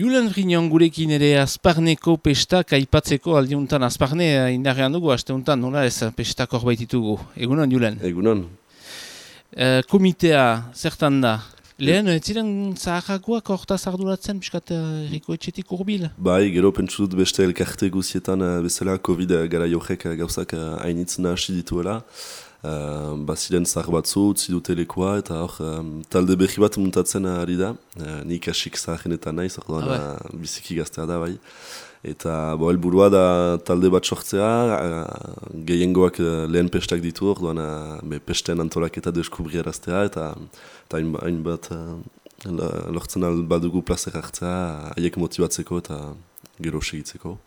Julen Frignon gurekin ere Azparneko pestak aipatzeko aldiuntan. Azparne indarrean dugu, asteuntan, nola ez pestak hor baititugu. Egunon, Julen? Egunon. Komitea, zertan da? Lehen, ez ziren zaharrakoak hortaz arduratzen, piskat erriko etxetik urbil? Bai, gero pentsu dut beste elkarte guzietan bezala COVID gara jokek gauzak hainitzen hasi dituela. Baziren zahar batzu, utzi dute lekoa, eta hor talde berri bat muntatzen ari da. Nik asik zaharenetan naiz, orduan biziki gaztea da, bai. Eta helburua da talde bat sortzea, gehiengoak lehen pestak ditu, orduan pesten antolaketa deskubriaraztea, eta hainbat lortzen albadugu plazer hartzea, haiek motibatzeko eta gero segitzeko.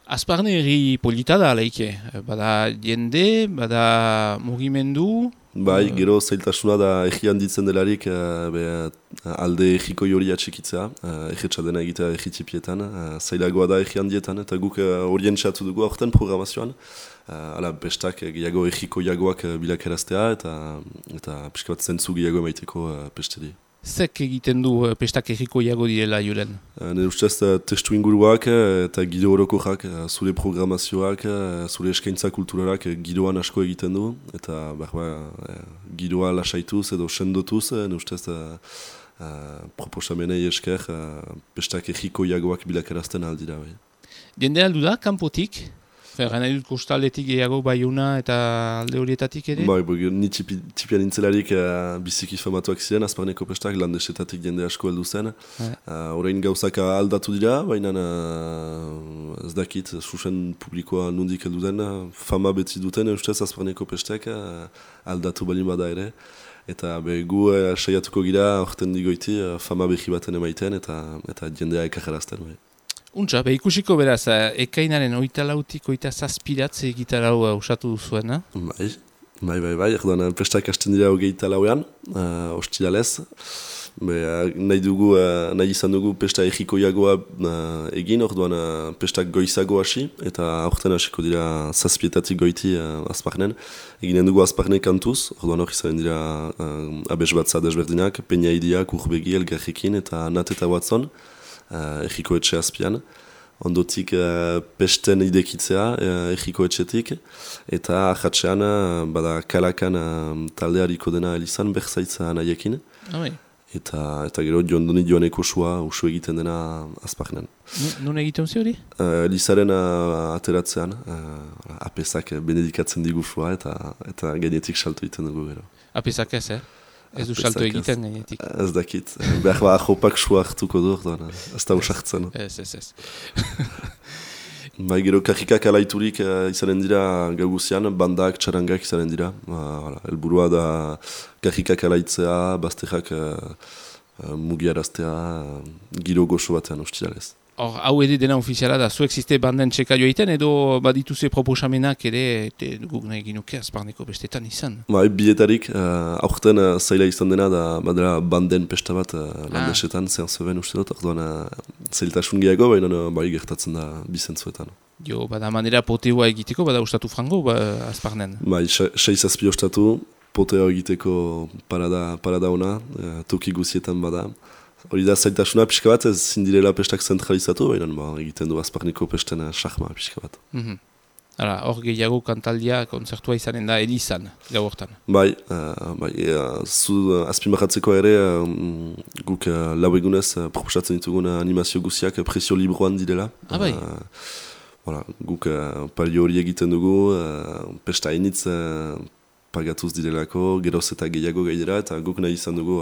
Azparne herri polita da, alaike. Bada jende, bada mugimendu. Bai, gero zailtasuna da erri handitzen delarik alde erriko jori atxikitzea, erretxa dena egitea erritipietan, zailagoa da erri handietan, eta guk orientxatu dugu aurten programazioan. Bestak gehiago erriko jagoak bilakaraztea, eta pixka bat zentzu gehiago emaiteko pesteri. Zek egiten du pestak erriko jago direla, Julen? Nire ustez testu inguruak eta giro orokorrak, zure programazioak, zure eskaintza kulturalak giroan asko egiten du, eta giroa lasaituz edo sendotuz, nire ustez proposamenei esker pestak erriko jagoak bilakarazten aldira. Jende aldu da, kanpotik? Gana dut kostaletik gehiago Baiuna eta alde horietatik ere? Ni tipian nintzelarik biziki famatuak ziren, Azparneko pestak landesetatik jende asko heldu zen. Orain gauzak aldatu dira, baina ez dakit, susen publikoa nondik heldu den, fama beti duten, ustez Azparneko pestak aldatu balin bada ere. Eta gu saiatuko gira, orten digoiti, fama behi baten emaiten eta jendea ekajarazten. Untsa, ikusiko beraz, ekainaren 24tik 27 gitarau usatu duzuen, Bai, erdoan pestak hasten dira 24ean, ostiralez. Nahi izan dugu pesta erriko jagoa egin, orduan pestak goizago hasi, eta aurten hasiko dira 7 goiti Azparnen. Eginen dugu Azparne kantuz, orduan hori izan dira abes batza desberdinak, Peña Idiak, Urbegi, Elgarrekin eta Nat eta Watson. Erriko etxe azpian, ondotik pesten idekitzea erriko etxetik, eta ahatxean bada kalakan taldeariko dena elizan berzaitza nahiekin, eta gero jondoni joaneko usu egiten dena Azparnen. Nun egiten zi hori? Elizaren ateratzean, apesak benedikatzen digusua eta gainetik salto egiten dugu gero. Apesak ez, Ez du salto egiten gainetik. Ez dakit. Behar jopak sua hartuko du, ez da usartzen. Ez. Gero karrikak alaiturik izanen dira gauguzian, bandak, txarangak izanen dira. Elburua da karrikak alaitzea, bazterrak mugiaraztea, giro goxo batean ustiralez. Hau ere dena ofiziala da, zuek ziste banden txeka joaiten edo badituze proposamenak ere guk nahi ginuke Azparneko bestetan izan? Bietarik, aurten zaila izan dena da badera banden pesta bat landesetan, zehan zeben uste dut, orduan zailtasun gehiago, baina gertatzen da bizentzuetan. Bada manera poteoa egiteko, bada ustatu frango Azparnen? 6 ostatu, poteo egiteko parada ona, toki guzietan bada. Hori da zailtasuna pixka bat, ez zindirela pestak zentralizatu, baina egiten du Azparneko pesten xahma pixka bat. Hor gehiago kantaldia kontzertua izanen da elizan, gau hortan. Bai, azpimarratzeko ere guk lau egunez proposatzen ditugun animazio guziak presio libroan direla. Bai? Guk palio hori egiten dugu, pesta hainitz pagatuz direlako, geroz eta gehiago gaidera, eta guk nahi izan dugu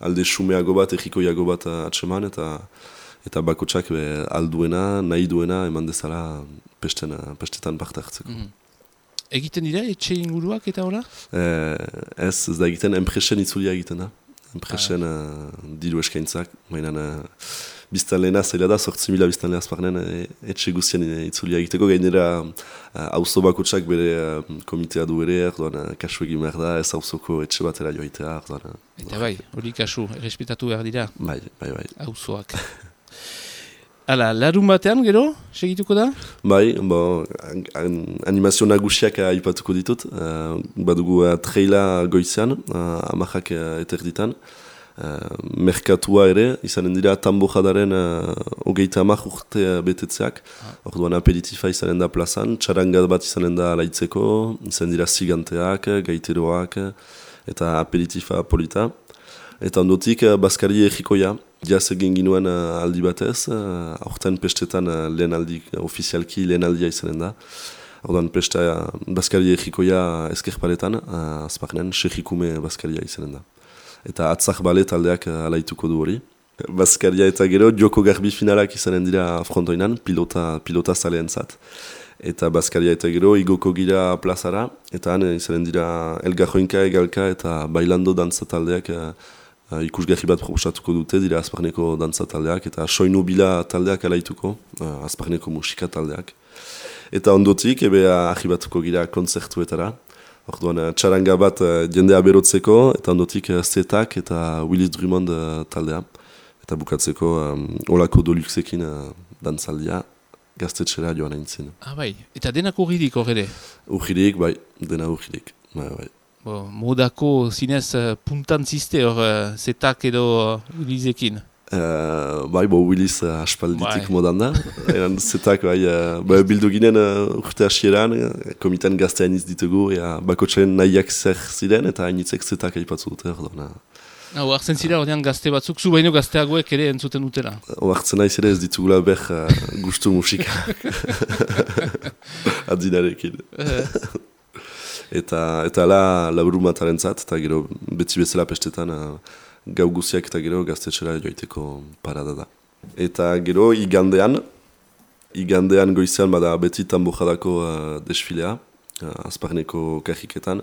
alde xumeago bat, erriko jago bat atseman, eta bakotsak alduena, nahi duena, eman dezala pestetan parte hartzeko. Egiten dira, etxe inguruak eta hola? Ez da egiten, enpresen itzulia egiten da. Enpresen diru eskaintzak, mainan biztanleena zaila da, 8.000 biztanle Azparnen etxe guztien itzulia egiteko, gainera auzo bakotsak bere komitea du ere, kasu egin behar da, ez auzoko etxe batera joaitea. Eta bai, hori kasu, errespetatu behar dira? Bai. Auzoak. Larun batean, gero, segituko da? Bai, animazio nagusiak aipatuko ditut. Badugu treila goizean, amajak eterditan. merkatua ere, izanen dira tambojadaren 30 urte betetzeak. Orduan aperitifa izanen da plazan, txarangat bat izanen da alaitzeko, izanen dira ziganteak, gaiteroak, eta aperitifa polita. Eta ondotik Baskari egikoia, jaz egin ginuen aldi batez, aurten pestetan lehen aldi, ofizialki lehen aldia izanen da. Orduan pesta Baskari egikoia ezkerparetan, azparnen, sejikume Baskaria izanen da. Eta atzak bale taldeak alaituko du hori. Baskaria eta gero joko garbi finalak izanen dira frontoinan, pilota zaleen zat. Eta Baskaria eta gero igoko gira plazara, eta han izanen dira elgarroinka, egalka eta bailando dantza taldeak ikusgarri bat proposatuko dute, dira azparneko dantza taldeak, eta soinu bila taldeak alaituko, azparneko musika taldeak. Eta ondotik, arribatuko gira kontzertuetara. Orduan, txaranga bat jendea berotzeko, eta ondotik Zetak eta Willis Drummond taldea. Eta bukatzeko olako doluxekin dantzaldia gaztetxera joan aintzin. Bai, eta denak urridik horre? Urridik, bai, dena urridik. Bai. Modako zinez puntan ziste hor Zetak edo Willisekin? Willis aspalditik modan da. Zetak, bildu ginen urte hasieran, komitan gaztean iz ditugu, bakotxaren nahiak zer ziren, eta hainitzek Zetak aipatzu dute. Oartzen zira, ordean gazte batzuk, zu baino gazteagoek ere entzuten dutela? Oartzen naiz ere ez ditugula gustu musika. Adzinarekin. Eta laburu mataren zat, eta gero betzi bezala pestetan gau guziak eta gero gaztetxera joiteko parada da. Eta gero igandean goizean bada beti tambojadako desfilea, azparneko kajiketan,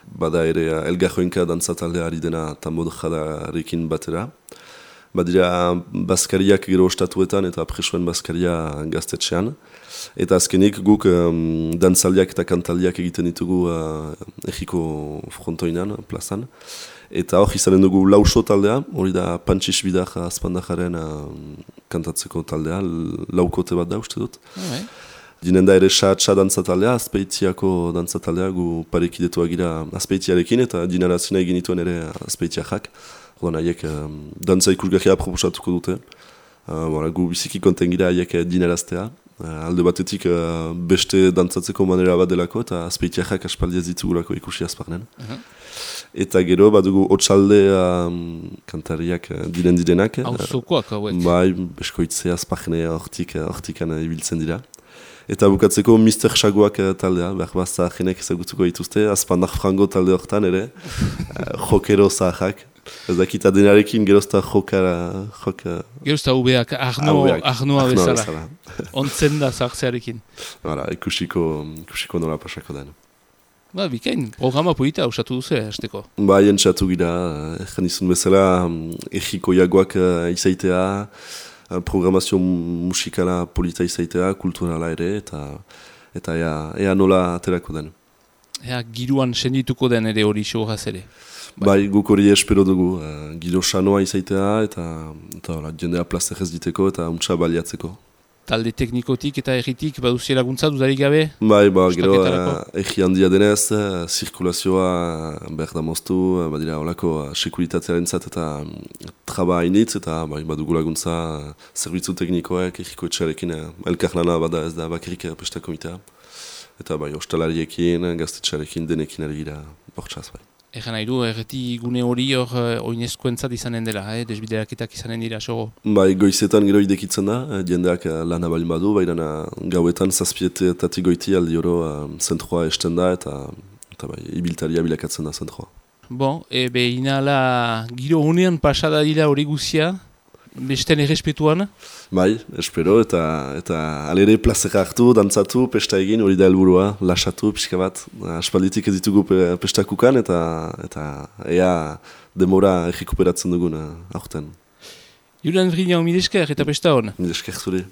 bada ere elgarroinka dantzataldea ari dena tambojadarekin batera. Badira Baskariak gero ostatuetan eta presoen Baskaria gaztetxean. Eta azkenik guk dantzaldiak eta kantaldiak egiten ditugu egiko frontoinan, plazan. Eta hor izanen dugu lauso taldea, hori da Pantxis Bidar azpandajaren kantatzeko taldea, laukote bat da uste dut. Dinen da ere xa dantzataldea, azpeitiako dantzataldea, gu parekidetua gira azpeitiarekin eta dinarazina egin dituen ere azpeitiakak. Horren haiek dantza ikusgarria proposatuko dute. Gu biziki konten gira haiek dinaraztea. Alde batetik beste dantzatzeko manera bat delako eta azpeitiakak aspaldi ez ditugulako ikusi azparnen. Eta gero badugu otxalde kantariak direnak. Auzokoak hauek. Bai, beskoitze azparne hortikan ibiltzen dira. Eta bukatzeko Mr. Shagoak taldea, behar bazta jenek ezagutuko dituzte, azpandak frango talde hortan ere, jokero zahak. Ez dakita denarekin gerozta jokara... Gerozta ubeak, arnoa bezala. Ontzen da zahartzearekin. Ikusiko nola pasako den. Bikain, programa polita usatu duzu, hasteko. Entzatu gira, ezkan izun bezala, egiko jagoak izaitea, programazio musikala polita izaitea, kulturala ere, eta ea nola aterako den. Ea giruan sendituko den ere hori xogaz ere. Guk hori espero dugu, giro sanoa izaitea, eta jendea plazter ez diteko, eta untsa baliatzeko. Talde teknikotik eta erritik baduzi laguntza dudarik gabe? Gero erri handia denez, zirkulazioa behar da moztu, badira holako sekuritatearen zat eta traba hainitz, eta badugu laguntza zerbitzu teknikoak, erriko etxarekin, elkarlana bada ez da bakarrik pesta komitea. Eta hostalariekin, gaztetxarekin, denekin ari gira bortxaz. Egan nahi du, erreti gune hori hor oinezkoentzat izanen dela, desbideraketak izanen dira, sogo? Goizetan gero idekitzen da, jendeak lana balin badu, baina gauetan zazpietatik goiti aldi oro zentroa esten da, eta ibiltaria bilakatzen da zentroa. Inala giro honean pasada dira hori guzia, besten errespetuan? Espero, eta alere plazera hartu, dantzatu, pesta egin, hori da helburua, lasatu, pixka bat. Aspalditik ez ditugu pestakukan, eta ea demora errekuperatzen dugun aurten. Julian Vrignan, mil esker eta pesta hon? Mil esker zure.